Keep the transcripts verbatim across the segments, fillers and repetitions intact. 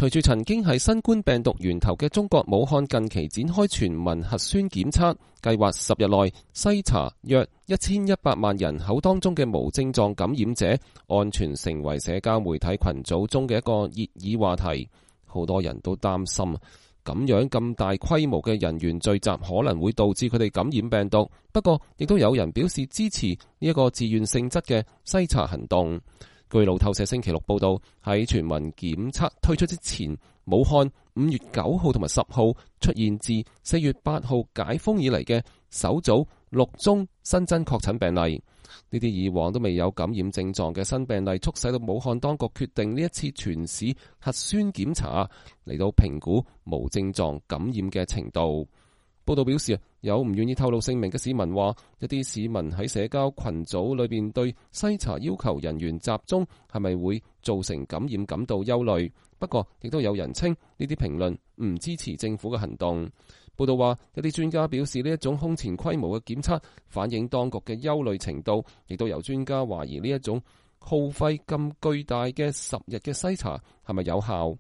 隨住曾經係新冠病毒源頭嘅中國武漢近期展開全民核酸檢測計劃，十日內篩查約一千一百萬人口當中嘅無症狀感染者，安全成為社交媒體群組中嘅一個熱議話題。好多人都擔心咁樣咁大規模嘅人員聚集可能會導致佢哋感染病毒。不過，亦都有人表示支持呢一個自願性質嘅篩查行動。據路透社星期六報道，喺全民檢測推出之前，武漢五月九號同埋十號出現自四月八號解封以嚟嘅首組六宗新增確診病例。呢啲以往都未有感染症狀嘅新病例，促使到武漢當局決定呢一次全市核酸檢查嚟到評估無症狀感染嘅程度。報道表示，有唔願意透露姓名嘅市民話，一啲市民喺社交群組裏邊對篩查要求人員集中係咪會造成感染感到憂慮。不過，亦都有人稱呢啲評論唔支持政府嘅行動。報道話，一啲專家表示呢一種空前規模嘅檢測反映當局嘅憂慮程度，亦都有專家懷疑呢一種耗費咁巨大嘅十日嘅篩查係咪有效。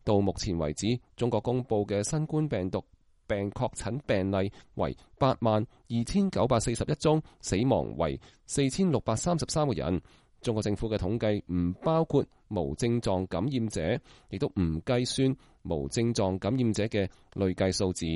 到目前為止，中國公布嘅新冠病毒病確診病例為八萬二千九百四十一宗，死亡為四千六百三十三個人。中國政府嘅統計唔包括無症狀感染者，亦都唔計算無症狀感染者嘅累計數字。